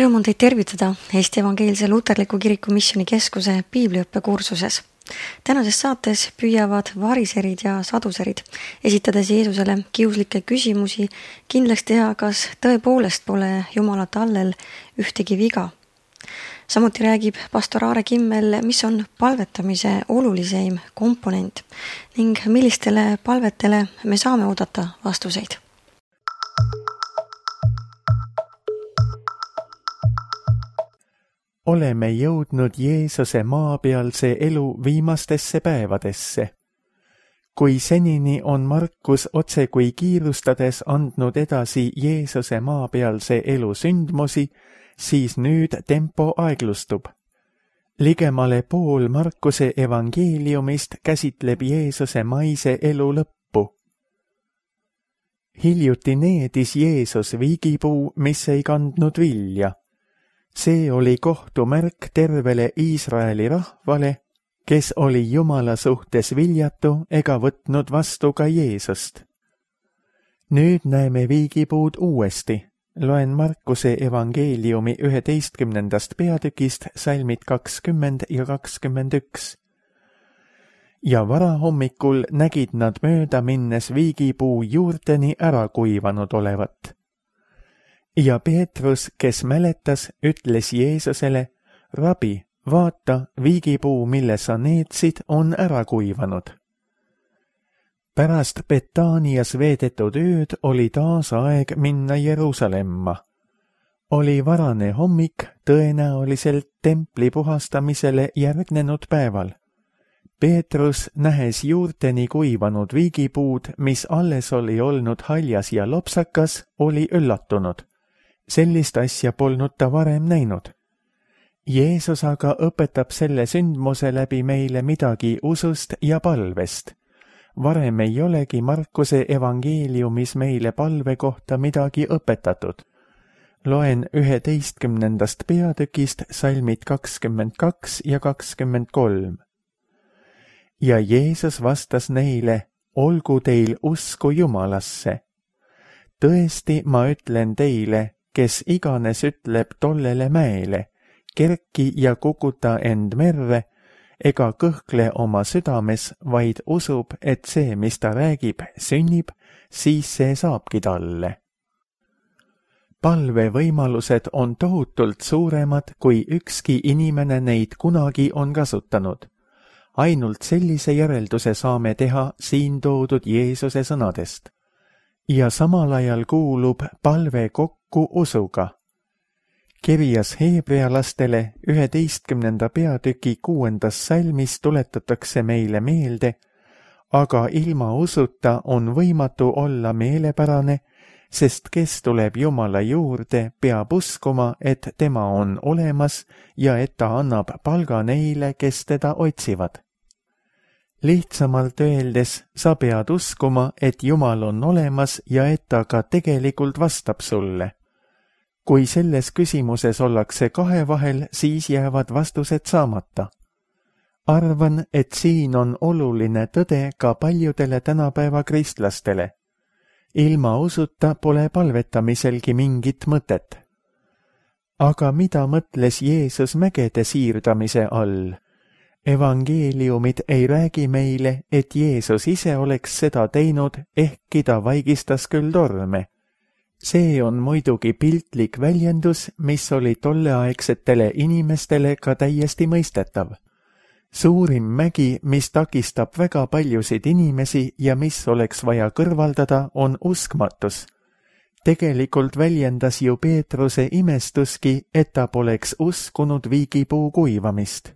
Rõõm on teid tervitada Eesti Evangeelse Luterliku Kiriku Missioonikeskuse piibliõppekursuses. Tänases saates püüavad variserid ja saduserid, esitades Jeesusele kiuslikke küsimusi, kindlaks teha, kas tõepoolest pole Jumala tallel ühtegi viga. Samuti räägib pastor Aare Kimmel, mis on palvetamise oluliseim komponent ning millistele palvetele me saame oodata vastuseid. Oleme jõudnud Jeesuse maapealse elu viimastesse päevadesse. Kui senini on Markus otse kui kiirustades andnud edasi Jeesuse maapealse elu sündmusi, siis nüüd tempo aeglustub. Ligemale pool Markuse evangeeliumist käsitleb Jeesuse maise elu lõppu. Hiljuti needis Jeesus viigipuu, mis ei kandnud vilja. See oli kohtumärk tervele Iisraeli rahvale, kes oli Jumala suhtes viljatu ega võtnud vastu ka Jeesust. Nüüd näeme viigipuud uuesti. Loen Markuse evangeeliumi 11. peatükist salmid 20 ja 21. Ja varahommikul nägid nad mööda minnes viigipuu juurteni ära kuivanud olevat. Ja Peetrus, kes mäletas, ütles Jeesusele, Rabi, vaata, viigipuu, mille sa needsid, on ära kuivanud. Pärast Betaanias veedetud ööd oli taas aeg minna Jeruusalemma. Oli varane hommik, tõenäoliselt templi puhastamisele järgnenud päeval. Peetrus, nähes juurteni kuivanud viigipuud, mis alles oli olnud haljas ja lopsakas, oli üllatunud. Sellist asja polnud ta varem näinud. Jeesus aga õpetab selle sündmuse läbi meile midagi usust ja palvest. Varem ei olegi Markuse evangeeliumis meile palve kohta midagi õpetatud. Loen 11. peatükist salmid 22 ja 23. Ja Jeesus vastas neile, olgu teil usku Jumalasse. Tõesti, ma ütlen teile, kes iganes ütleb tollele mäele, kerki ja kukuta end merre, ega kõhkle oma südames, vaid usub, et see, mis ta räägib, sünnib, siis see saabki talle. Palvevõimalused on tohutult suuremad, kui ükski inimene neid kunagi on kasutanud. Ainult sellise järelduse saame teha siin toodud Jeesuse sõnadest. Ja samal ajal kuulub palve kokku usuga. Kirjas heebrealastele 11. peatüki 6. salmis tuletatakse meile meelde, aga ilma usuta on võimatu olla meelepärane, sest kes tuleb Jumala juurde, peab uskuma, et tema on olemas ja et ta annab palga neile, kes teda otsivad. Lihtsamalt öeldes, sa pead uskuma, et Jumal on olemas ja et ta ka tegelikult vastab sulle. Kui selles küsimuses ollakse kahe vahel, siis jäävad vastused saamata. Arvan, et siin on oluline tõde ka paljudele tänapäeva kristlastele. Ilma usuta pole palvetamiselgi mingit mõtet. Aga mida mõtles Jeesus mägede siirdamise all? Evangeeliumid ei räägi meile, et Jeesus ise oleks seda teinud, ehkki ta vaigistas küll torme. See on muidugi piltlik väljendus, mis oli tolleaegsetele inimestele ka täiesti mõistetav. Suurim mägi, mis takistab väga paljusid inimesi ja mis oleks vaja kõrvaldada, on uskmatus. Tegelikult väljendas ju Peetruse imestuski, et ta poleks uskunud viigipuu kuivamist.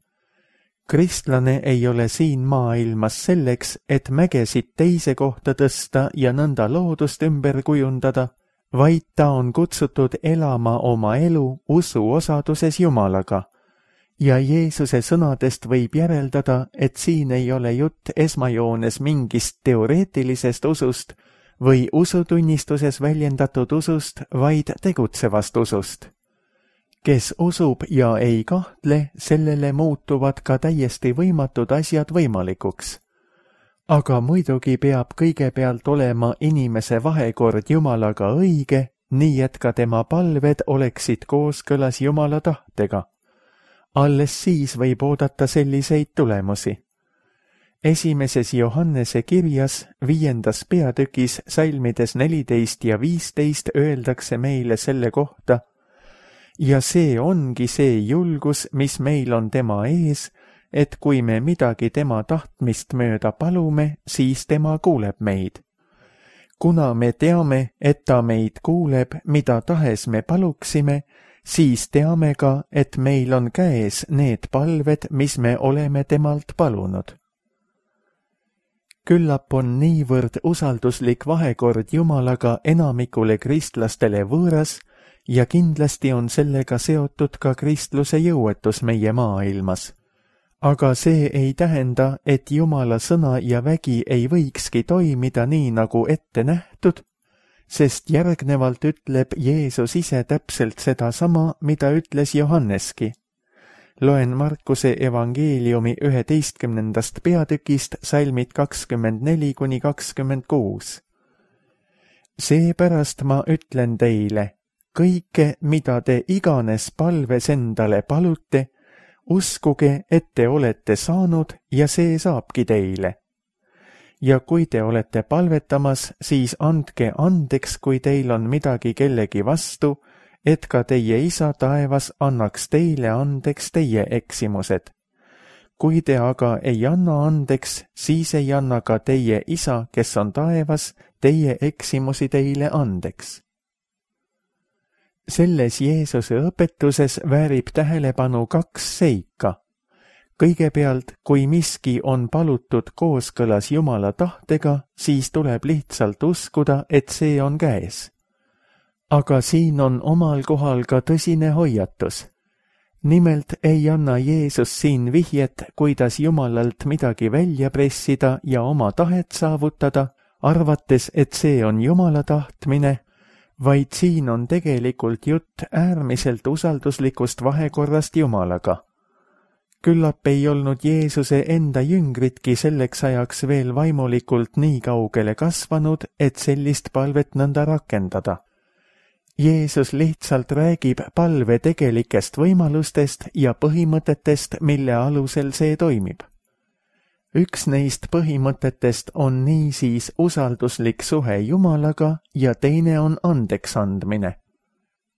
Kristlane ei ole siin maailmas selleks, et mägesid teise kohta tõsta ja nõnda loodust ümber kujundada, vaid ta on kutsutud elama oma elu usu osaduses Jumalaga. Ja Jeesuse sõnadest võib järeldada, et siin ei ole jutt esmajoones mingist teoreetilisest usust või usutunnistuses väljendatud usust, vaid tegutsevast usust. Kes usub ja ei kahtle, sellele muutuvad ka täiesti võimatud asjad võimalikuks. Aga muidugi peab kõigepealt olema inimese vahekord Jumalaga õige nii et ka tema palved oleksid kooskõlas Jumala tahtega. Alles siis võib oodata selliseid tulemusi. Esimeses Johannese kirjas 5. peatükis salmides 14 ja 15 öeldakse meile selle kohta: ja see ongi see julgus, mis meil on tema ees, et kui me midagi tema tahtmist mööda palume, siis tema kuuleb meid. Kuna me teame, et ta meid kuuleb, mida tahes me paluksime, siis teame ka, et meil on käes need palved, mis me oleme temalt palunud. Küllap on niivõrd usalduslik vahekord Jumalaga enamikule kristlastele võõras ja kindlasti on sellega seotud ka kristluse jõuetus meie maailmas. Aga see ei tähenda, et Jumala sõna ja vägi ei võikski toimida nii nagu ette nähtud, sest järgnevalt ütleb Jeesus ise täpselt sedasama, mida ütles Johanneski. Loen Markuse evangeeliumi 11. peatükist salmid 24–26. Seepärast ma ütlen teile, kõike, mida te iganes palves endale palute, uskuge, et te olete saanud ja see saabki teile. Ja kui te olete palvetamas, siis andke andeks, kui teil on midagi kellegi vastu, et ka teie isa taevas annaks teile andeks teie eksimused. Kui te aga ei anna andeks, siis ei anna ka teie isa, kes on taevas, teie eksimusi teile andeks. Selles Jeesuse õpetuses väärib tähelepanu 2 seika. Kõigepealt, kui miski on palutud kooskõlas Jumala tahtega, siis tuleb lihtsalt uskuda, et see on käes. Aga siin on omal kohal ka tõsine hoiatus. Nimelt ei anna Jeesus siin vihjet, kuidas Jumalalt midagi välja pressida ja oma tahet saavutada, arvates, et see on Jumala tahtmine, vaid siin on tegelikult jutt äärmiselt usalduslikust vahekorrast Jumalaga. Küllap ei olnud Jeesuse enda jüngritki selleks ajaks veel vaimulikult nii kaugele kasvanud, et sellist palvet nõnda rakendada. Jeesus lihtsalt räägib palve tegelikest võimalustest ja põhimõtetest, mille alusel see toimib. Üks neist põhimõtetest on niisiis usalduslik suhe Jumalaga ja teine on andeks andmine.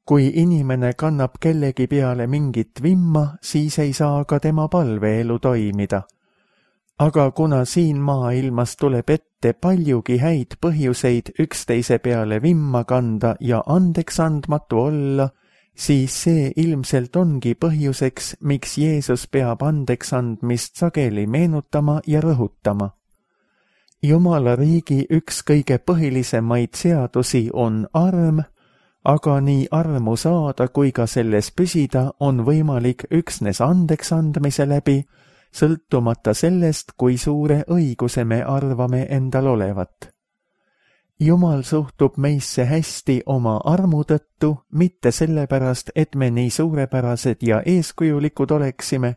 Kui inimene kannab kellegi peale mingit vimma, siis ei saa ka tema palveelu toimida. Aga kuna siin maailmas tuleb ette paljugi häid põhjuseid üksteise peale vimma kanda ja andeks andmatu olla, siis see ilmselt ongi põhjuseks, miks Jeesus peab andeks andmist sageli meenutama ja rõhutama. Jumala riigi üks kõige põhilisemaid seadusi on arm, aga nii armu saada kui ka selles püsida on võimalik üksnes andeks andmise läbi, sõltumata sellest, kui suure õiguse me arvame endal olevat. Jumal suhtub meisse hästi oma armu tõttu, mitte sellepärast, et me nii suurepärased ja eeskujulikud oleksime,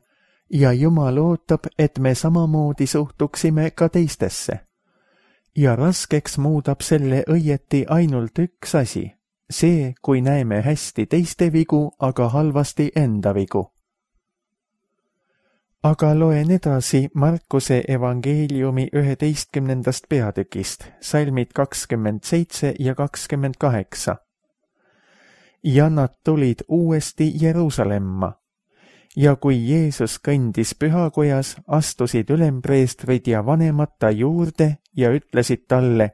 ja Jumal ootab, et me samamoodi suhtuksime ka teistesse. Ja raskeks muudab selle õieti ainult üks asi, see, kui näeme hästi teiste vigu, aga halvasti enda vigu. Aga loen edasi Markuse evangeeliumi 11. peatükist, salmid 27 ja 28. Ja nad tulid uuesti Jeruusalemma. Ja kui Jeesus kõndis pühakojas, astusid ülempreestrid ja vanemad ta juurde ja ütlesid talle: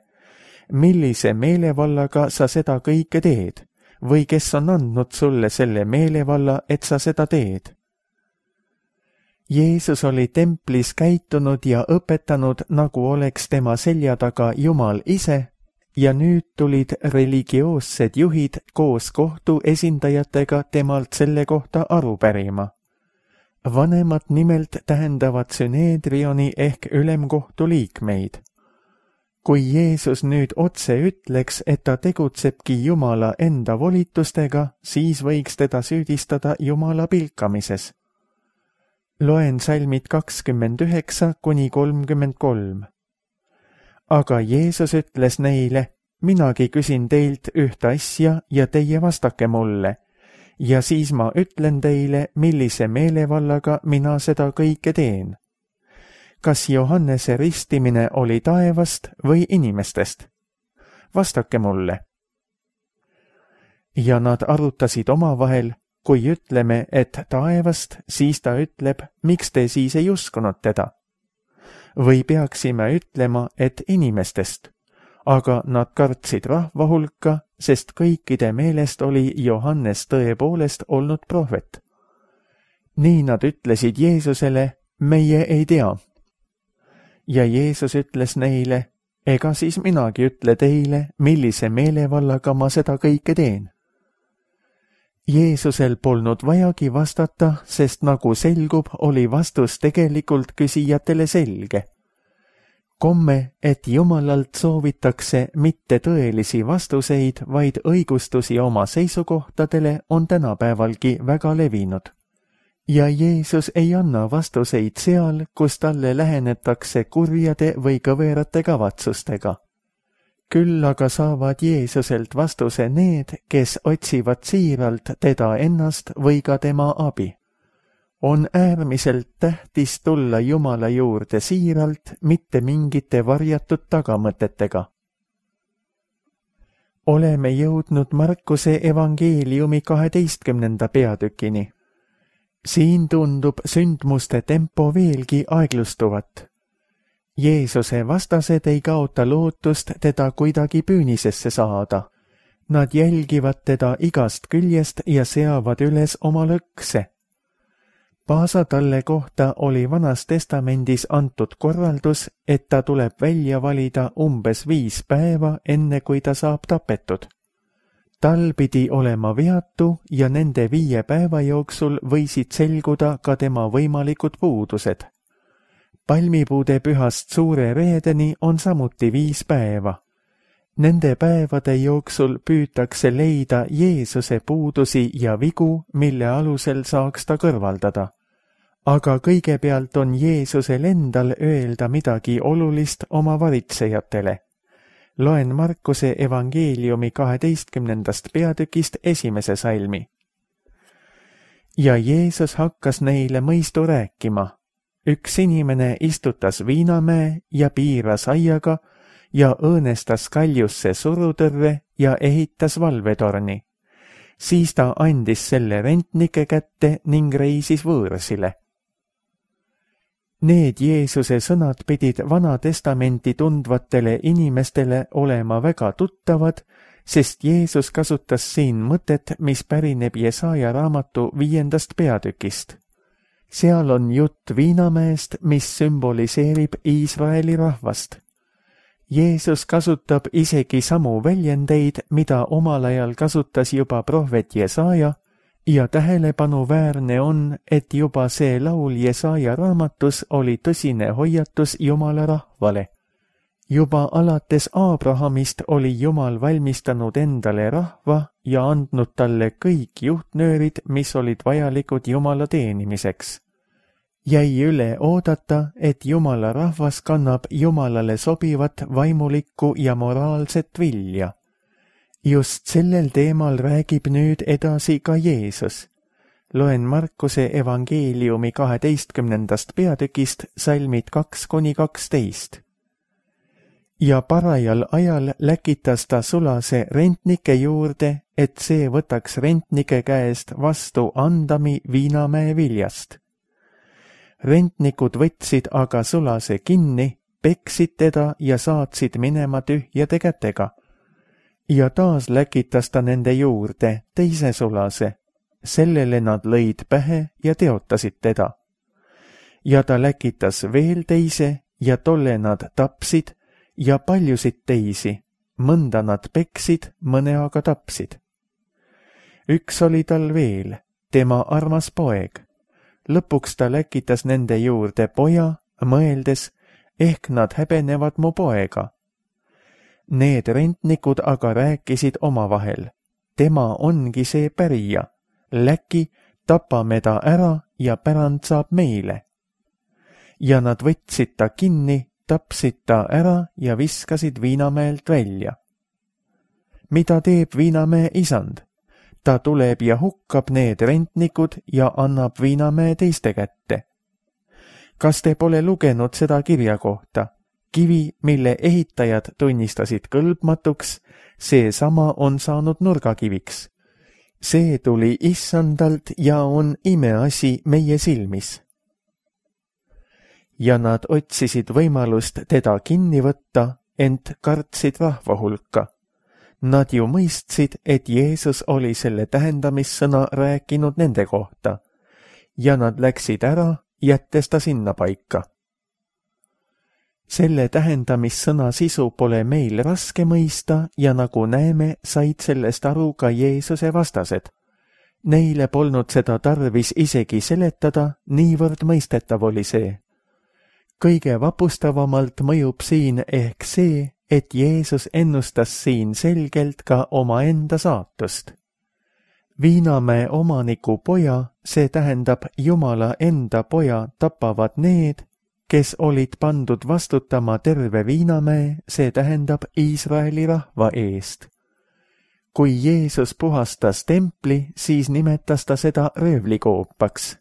millise meelevallaga sa seda kõike teed, või kes on andnud sulle selle meelevalla, et sa seda teed? Jeesus oli templis käitunud ja õpetanud, nagu oleks tema selja taga Jumal ise, ja nüüd tulid religioossed juhid koos kohtu esindajatega temalt selle kohta aru pärima. Vanemad nimelt tähendavad süneedrioni ehk ülemkohtu liikmeid. Kui Jeesus nüüd otse ütleks, et ta tegutsebki Jumala enda volitustega, siis võiks teda süüdistada Jumala pilkamises. Loen salmid 29–33. Aga Jeesus ütles neile: minagi küsin teilt ühte asja ja teie vastake mulle. Ja siis ma ütlen teile, millise meelevallaga mina seda kõike teen. Kas Johannese ristimine oli taevast või inimestest? Vastake mulle. Ja nad arutasid omavahel, kui ütleme, et taevast, siis ta ütleb, miks te siis ei uskunud teda? Või peaksime ütlema, et inimestest? Aga nad kartsid rahva hulka, sest kõikide meelest oli Johannes tõepoolest olnud prohvet. Nii nad ütlesid Jeesusele, meie ei tea. Ja Jeesus ütles neile, ega siis minagi ütle teile, millise meelevallaga ma seda kõike teen. Jeesusel polnud vajagi vastata, sest nagu selgub, oli vastus tegelikult küsijatele selge. Komme, et Jumalalt soovitakse mitte tõelisi vastuseid, vaid õigustusi oma seisukohtadele, on tänapäevalgi väga levinud. Ja Jeesus ei anna vastuseid seal, kus talle lähenetakse kurjade või kõverate kavatsustega. Küll aga saavad Jeesuselt vastuse need, kes otsivad siiralt teda ennast või ka tema abi. On äärmiselt tähtis tulla Jumala juurde siiralt, mitte mingite varjatud tagamõtetega. Oleme jõudnud Markuse evangeeliumi 12. peatükini. Siin tundub sündmuste tempo veelgi aeglustuvat. Jeesuse vastased ei kaota lootust teda kuidagi püünisesse saada. Nad jälgivad teda igast küljest ja seavad üles oma lõkse. Paasa talle kohta oli Vanas Testamendis antud korraldus, et ta tuleb välja valida umbes 5 päeva, enne kui ta saab tapetud. Tal pidi olema veatu ja nende 5 päeva jooksul võisid selguda ka tema võimalikud puudused. Palmipuude pühast suure reedeni on samuti 5 päeva. Nende päevade jooksul püütakse leida Jeesuse puudusi ja vigu, mille alusel saaks ta kõrvaldada. Aga kõigepealt on Jeesusel endal öelda midagi olulist oma varitsejatele. Loen Markuse evangeeliumi 12. peatükist 1. salmi. Ja Jeesus hakkas neile mõistu rääkima. Üks inimene istutas viinamäe ja piiras aiaga ja õõnestas kaljusse surutõrve ja ehitas valvetorni. Siis ta andis selle rentnike kätte ning reisis võõrsile. Need Jeesuse sõnad pidid Vana Testamenti tundvatele inimestele olema väga tuttavad, sest Jeesus kasutas siin mõtet, mis pärineb Jesaja raamatu 5. peatükist. Seal on jutt viinamäest, mis sümboliseerib Iisraeli rahvast. Jeesus kasutab isegi samu väljendeid, mida omal ajal kasutas juba prohvet Jesaja, ja tähelepanuväärne on, et juba see laul Jesaja raamatus oli tõsine hoiatus Jumala rahvale. Juba alates Abrahamist oli Jumal valmistanud endale rahva ja andnud talle kõik juhtnöörid, mis olid vajalikud Jumala teenimiseks. Jäi üle oodata, et Jumala rahvas kannab Jumalale sobivat vaimulikku ja moraalset vilja. Just sellel teemal räägib nüüd edasi ka Jeesus. Loen Markuse evangeeliumi 12. peatükist salmid 2-12. Ja parajal ajal läkitas ta sulase rentnike juurde, et see võtaks rentnike käest vastu andami viinamäe viljast. Rentnikud võtsid aga sulase kinni, peksid teda ja saatsid minema tühjade kätega. Ja taas läkitas ta nende juurde teise sulase. Sellele nad lõid pähe ja teotasid teda. Ja ta läkitas veel teise ja tolle nad tapsid ja paljusid teisi. Mõnda nad peksid, mõne aga tapsid. Üks oli tal veel, tema armas poeg. Lõpuks ta läkitas nende juurde poja, mõeldes, ehk nad häbenevad mu poega. Need rentnikud aga rääkisid omavahel. Tema ongi see pärija. Läki, tapame ta ära ja pärand saab meile. Ja nad võtsid ta kinni, tapsid ta ära ja viskasid viinamäelt välja. mida teeb Viinamäe isand? Ta tuleb ja hukkab need rentnikud ja annab Viinamäe teiste kätte. Kas te pole lugenud seda kirja kohta? Kivi, mille ehitajad tunnistasid kõlbmatuks, seesama on saanud nurgakiviks. See tuli issandalt ja on imeasi meie silmis. Ja nad otsisid võimalust teda kinni võtta, ent kartsid rahva hulka. Nad ju mõistsid, et Jeesus oli selle tähendamissõna rääkinud nende kohta ja nad läksid ära, jättes ta sinna paika. Selle tähendamissõna sisu pole meil raske mõista ja nagu näeme, said sellest aru ka Jeesuse vastased. Neile polnud seda tarvis isegi seletada, niivõrd mõistetav oli see. Kõige vapustavamalt mõjub siin ehk see, et Jeesus ennustas siin selgelt ka omaenda saatust. Viinamäe omaniku poja, see tähendab Jumala enda poja, tapavad need, kes olid pandud vastutama terve Viinamäe, see tähendab Iisraeli rahva eest. Kui Jeesus puhastas templi, siis nimetas ta seda röövlikoopaks.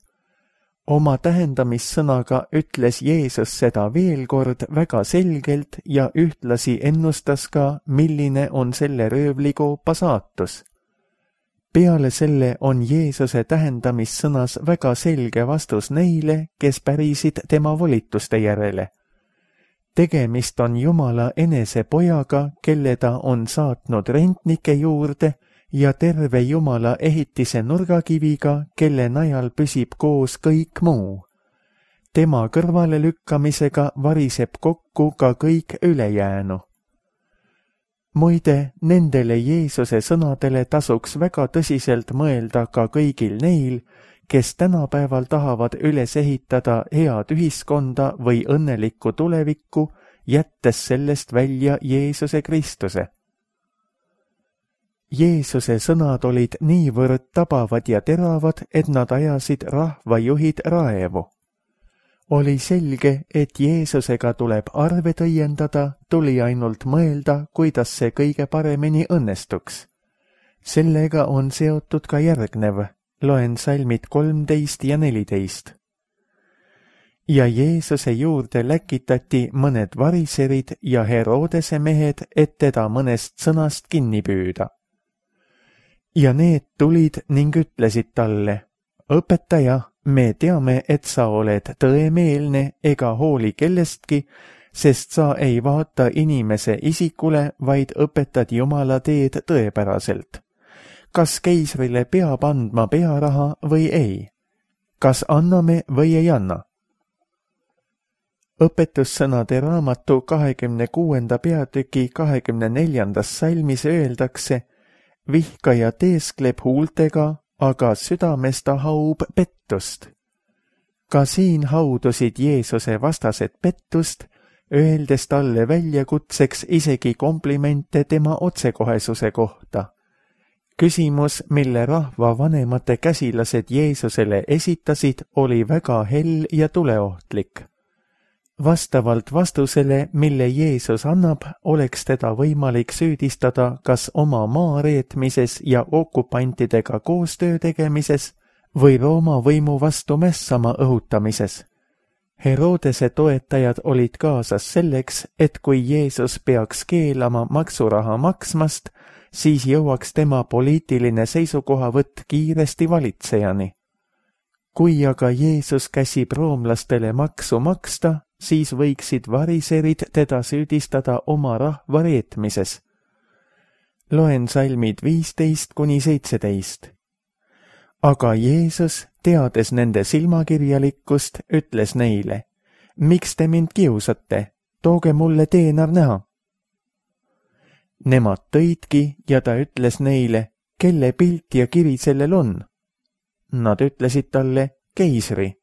Oma tähendamissõnaga ütles Jeesus seda veel kord väga selgelt ja ühtlasi ennustas ka, milline on selle röövlikoopa saatus. Peale selle on Jeesuse tähendamissõnas väga selge vastus neile, kes pärisid tema volituste järele. Tegemist on Jumala enese pojaga, kelle ta on saatnud rentnike juurde ja terve Jumala ehitise nurgakiviga, kelle najal püsib koos kõik muu. Tema kõrvale lükkamisega variseb kokku ka kõik ülejäänu. Muide, nendele Jeesuse sõnadele tasuks väga tõsiselt mõelda ka kõigil neil, kes tänapäeval tahavad üles ehitada head ühiskonda või õnnelikku tulevikku, jättes sellest välja Jeesuse Kristuse. Jeesuse sõnad olid niivõrd tabavad ja teravad, et nad ajasid rahvajuhid raevu. Oli selge, et Jeesusega tuleb arved õiendada, tuli ainult mõelda, kuidas see kõige paremini õnnestuks. Sellega on seotud ka järgnev, loen salmid 13 ja 14. Ja Jeesuse juurde läkitati mõned variserid ja Herodese mehed, et teda mõnest sõnast kinni püüda. Ja need tulid ning ütlesid talle, õpetaja, me teame, et sa oled tõemeelne ega hooli kellestki, sest sa ei vaata inimese isikule, vaid õpetad Jumala teed tõepäraselt. Kas keisrile peab andma pearaha või ei? Kas anname või ei anna? Õpetussõnade raamatu 26. peatüki 24. salmis öeldakse, vihkaja teeskleb huultega, aga südames ta haub pettust. Ka siin haudusid Jeesuse vastased pettust, öeldes talle väljakutseks isegi komplimente tema otsekohesuse kohta. Küsimus, mille rahva vanemate käsilased Jeesusele esitasid, oli väga hell ja tuleohtlik. Vastavalt vastusele, mille Jeesus annab, oleks teda võimalik süüdistada kas oma maareetmises ja okupantidega koostöö tegemises või Rooma võimu vastu mässama õhutamises. Herodese toetajad olid kaasas selleks, et kui Jeesus peaks keelama maksuraha maksmast, siis jõuaks tema poliitiline seisukohavõtt kiiresti valitsejani. Kui aga Jeesus käsib roomlastele maksu maksta, siis võiksid variserid teda süüdistada oma rahva reetmises. Loen salmid 15–17. Aga Jeesus, teades nende silmakirjalikkust, ütles neile, miks te mind kiusate, tooge mulle teenar näha. Nemad tõidki ja ta ütles neile, kelle pilt ja kiri sellel on. Nad ütlesid talle, keisri.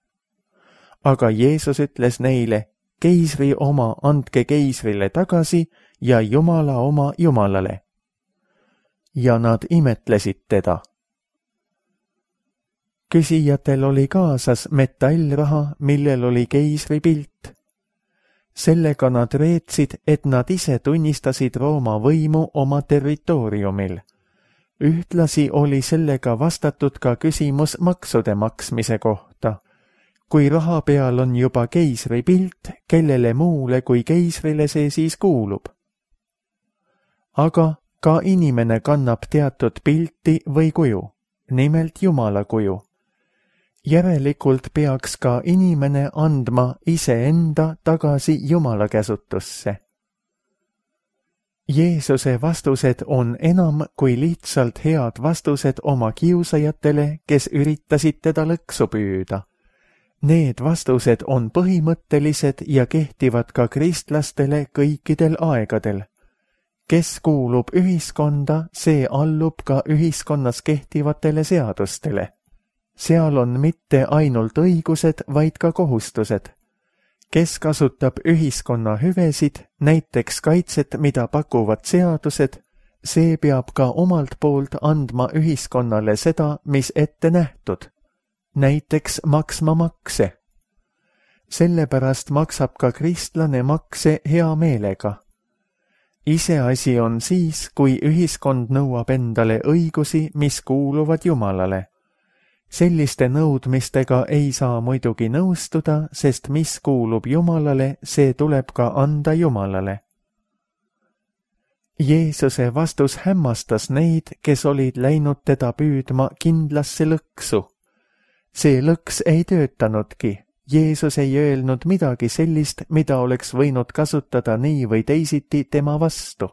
Aga Jeesus ütles neile, keisri oma andke keisrile tagasi ja Jumala oma Jumalale. Ja nad imetlesid teda. Küsijatel oli kaasas metallraha, millel oli keisri pilt. Sellega nad reetsid, et nad ise tunnistasid Rooma võimu oma territooriumil. Ühtlasi oli sellega vastatud ka küsimus maksude maksmise kohta. Kui raha peal on juba keisri pilt, kellele muule kui keisrile see siis kuulub? Aga ka inimene kannab teatud pilti või kuju, nimelt Jumala kuju. Järelikult peaks ka inimene andma iseenda tagasi Jumala käsutusse. Jeesuse vastused on enam kui lihtsalt head vastused oma kiusajatele, kes üritasid teda lõksu püüda. Need vastused on põhimõttelised ja kehtivad ka kristlastele kõikidel aegadel. Kes kuulub ühiskonda, see allub ka ühiskonnas kehtivatele seadustele. Seal on mitte ainult õigused, vaid ka kohustused. Kes kasutab ühiskonna hüvesid, näiteks kaitset, mida pakuvad seadused, see peab ka omalt poolt andma ühiskonnale seda, mis ette nähtud. Näiteks maksma makse. Sellepärast maksab ka kristlane makse hea meelega. Iseasi on siis, kui ühiskond nõuab endale õigusi, mis kuuluvad Jumalale. Selliste nõudmistega ei saa muidugi nõustuda, sest mis kuulub Jumalale, see tuleb ka anda Jumalale. Jeesuse vastus hämmastas neid, kes olid läinud teda püüdma kindlasse lõksu. See lõks ei töötanudki. Jeesus ei öelnud midagi sellist, mida oleks võinud kasutada nii või teisiti tema vastu.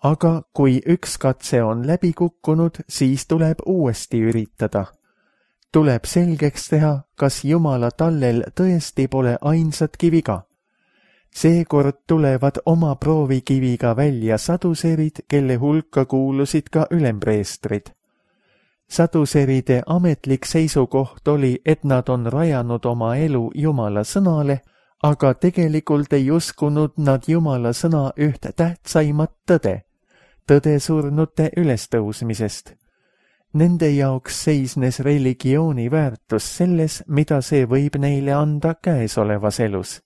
Aga kui üks katse on läbi kukkunud, siis tuleb uuesti üritada. Tuleb selgeks teha, kas Jumala tallel tõesti pole ainsatki viga. Seekord tulevad oma proovikiviga välja saduserid, kelle hulka kuulusid ka ülempreestrid. Saduseride ametlik seisukoht oli, et nad on rajanud oma elu Jumala sõnale, aga tegelikult ei uskunud nad Jumala sõna üht tähtsaimat tõde, tõde surnute ülestõusmisest. Nende jaoks seisnes religiooni väärtus selles, mida see võib neile anda käesolevas elus.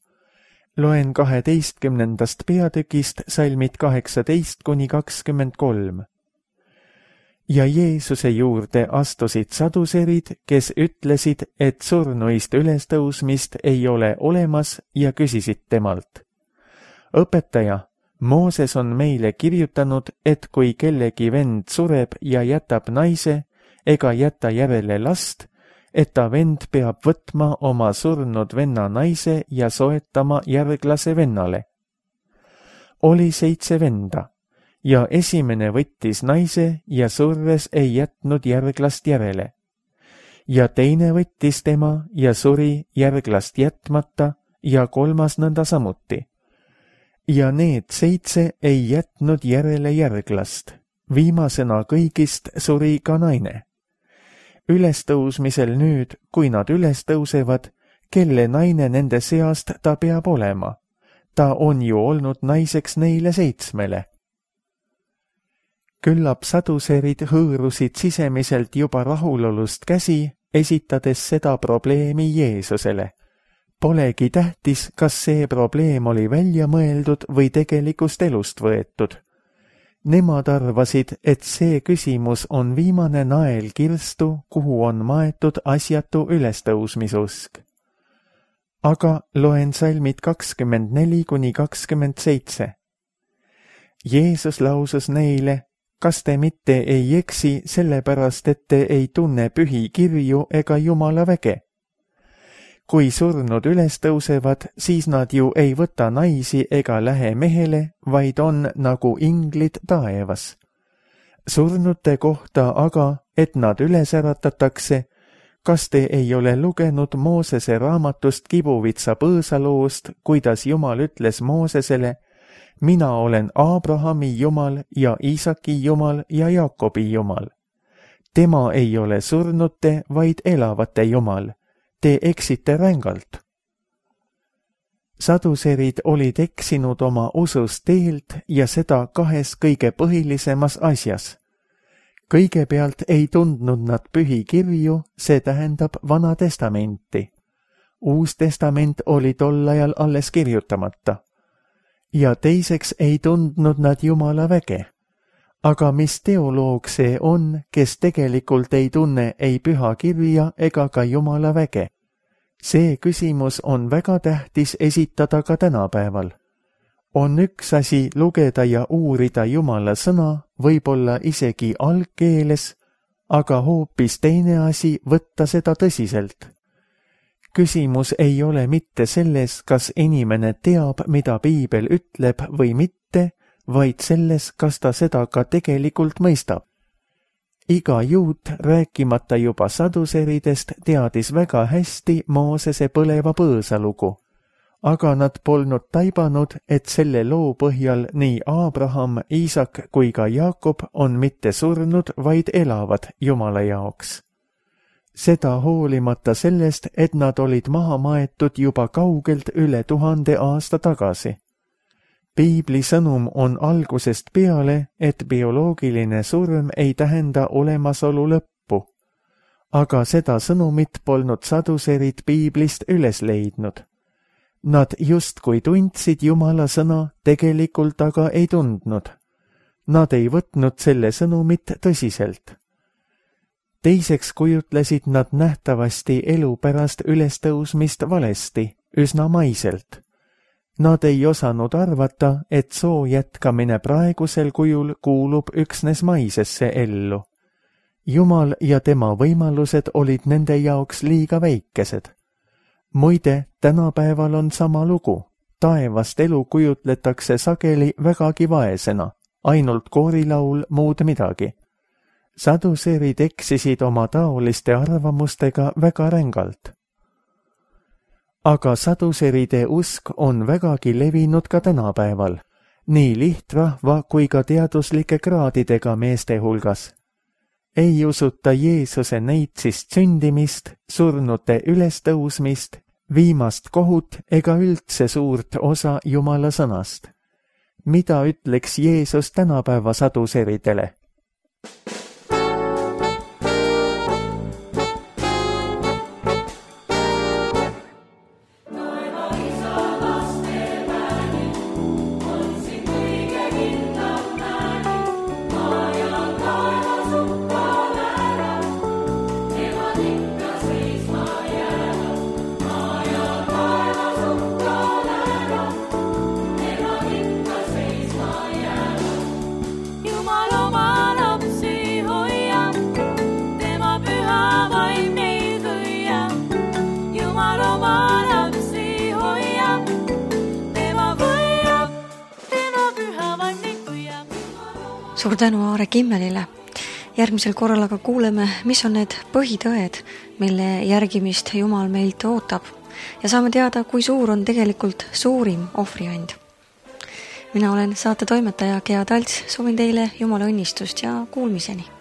Loen 12. peatükist salmid 18–23. Ja Jeesuse juurde astusid saduserid, kes ütlesid, et surnuist ülestõusmist ei ole olemas ja küsisid temalt. Õpetaja, Mooses on meile kirjutanud, et kui kellegi vend sureb ja jätab naise ega jäta järele last, et ta vend peab võtma oma surnud venna naise ja soetama järglase vennale. Oli 7 venda. Ja esimene võttis naise ja surres ei jätnud järglast järele. Ja teine võttis tema ja suri järglast jätmata ja 3. nõnda samuti. Ja need 7 ei jätnud järele järglast. Viimasena kõigist suri ka naine. Ülestõusmisel nüüd, kui nad ülestõusevad, kelle naine nende seast ta peab olema? Ta on ju olnud naiseks neile 7. Küllap saduserid hõõrusid sisemiselt juba rahulolust käsi, esitades seda probleemi Jeesusele. Polegi tähtis, kas see probleem oli välja mõeldud või tegelikust elust võetud. Nemad arvasid, et see küsimus on viimane nael kirstu, kuhu on maetud asjatu ülestõusmisusk. Aga loen salmid 24–27. Jeesus lausus neile, kas te mitte ei eksi sellepärast, et te ei tunne pühi kirju ega Jumala väge? Kui surnud ülestõusevad, siis nad ju ei võta naisi ega lähe mehele, vaid on nagu inglid taevas. Surnute kohta aga, et nad üles äratatakse, kas te ei ole lugenud Moosese raamatust Kibuvitsa põõsaloost, kuidas Jumal ütles Moosesele, mina olen Abrahami Jumal ja Iisaki Jumal ja Jaakobi Jumal. Tema ei ole surnute, vaid elavate Jumal. Te eksite rängalt. Saduserid olid eksinud oma usust teelt ja seda 2 kõige põhilisemas asjas. Kõigepealt ei tundnud nad pühi kirju, see tähendab Vana Testamenti. Uus Testament oli tol ajal alles kirjutamata. Ja teiseks ei tundnud nad Jumala väge. Aga mis teoloog see on, kes tegelikult ei tunne ei püha kirja ega ka Jumala väge? See küsimus on väga tähtis esitada ka tänapäeval. On üks asi lugeda ja uurida Jumala sõna, võib-olla isegi algkeeles, aga hoopis teine asi võtta seda tõsiselt. Küsimus ei ole mitte selles, kas inimene teab, mida Piibel ütleb või mitte, vaid selles, kas ta seda ka tegelikult mõistab. Iga juut, rääkimata juba saduseridest, teadis väga hästi Moosese põleva põõsa lugu, aga nad polnud taibanud, et selle loo põhjal nii Abraham, Iisak kui ka Jaakob on mitte surnud, vaid elavad Jumala jaoks. Seda hoolimata sellest, et nad olid maha maetud juba kaugelt üle 1000 aasta tagasi. Piibli sõnum on algusest peale, et bioloogiline surm ei tähenda olemasolu lõppu. Aga seda sõnumit polnud saduserid Piiblist üles leidnud. Nad justkui tundsid Jumala sõna, tegelikult aga ei tundnud. Nad ei võtnud selle sõnumit tõsiselt. Teiseks kujutlesid nad nähtavasti elu pärast ülestõusmist valesti, üsna maiselt. Nad ei osanud arvata, et soo jätkamine praegusel kujul kuulub üksnes maisesse ellu. Jumal ja tema võimalused olid nende jaoks liiga väikesed. Muide, tänapäeval on sama lugu. Taevast elu kujutletakse sageli vägagi vaesena, ainult koorilaul, muud midagi. Saduserid eksisid oma taoliste arvamustega väga rängalt. Aga saduseride usk on vägagi levinud ka tänapäeval, nii lihtrahva kui ka teaduslike kraadidega meeste hulgas. Ei usuta Jeesuse neitsist sündimist, surnute ülestõusmist, viimast kohut ega üldse suurt osa Jumala sõnast. Mida ütleks Jeesus tänapäeva saduseridele? Suur tänu Aare Kimmelile. Järgmisel korral aga kuuleme, mis on need põhitõed, mille järgimist Jumal meilt ootab ja saame teada, kui suur on tegelikult suurim ohvriand. Mina olen saate toimetaja Gea Talts, soovin teile Jumala õnnistust ja kuulmiseni.